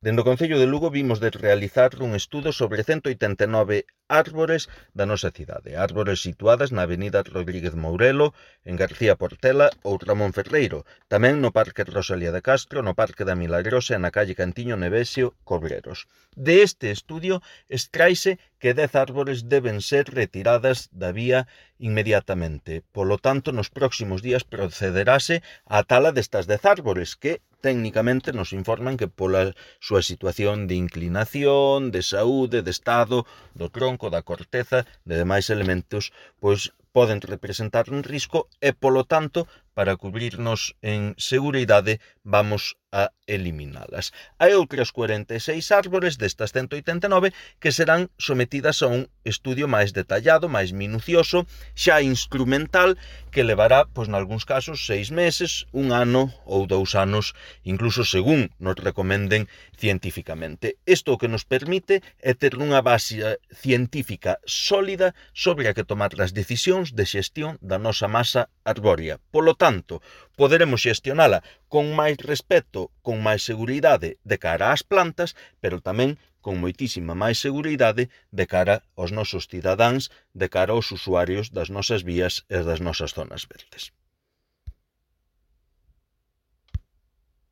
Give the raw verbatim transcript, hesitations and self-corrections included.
Dende o Concello de Lugo vimos de realizar un estudo sobre cento oitenta e nove árbores da nosa cidade, árbores situadas na avenida Rodríguez Mourelo, en García Portela ou Ramón Ferreiro, tamén no Parque Rosalía de Castro, no Parque da Milagrosa e na calle Cantiño Nevesio, Cobreros. De este estudio extraise que dez árbores deben ser retiradas da vía inmediatamente. Polo tanto, nos próximos días procederase á tala destas dez árbores que técnicamente nos informan que pola súa situación de inclinación, de saúde, de estado, do tronco, da corteza, de demais elementos, pois poden representar un risco e, polo tanto, para cubrirnos en seguridade, vamos a eliminalas. Hai outras cuarenta e seis árbores destas cento oitenta e nove que serán sometidas a un estudio máis detallado, máis minucioso, xa instrumental, que levará, pois, nalgúns casos, seis meses, un ano ou dous anos, incluso según nos recomenden científicamente. Isto o que nos permite é ter unha base científica sólida sobre a que tomar as decisións de xestión da nosa masa arbórea. Polo tanto, poderemos xestionala con máis respeto, con máis seguridade de cara ás plantas, pero tamén con moitísima máis seguridade de cara aos nosos cidadáns, de cara aos usuarios das nosas vías e das nosas zonas verdes.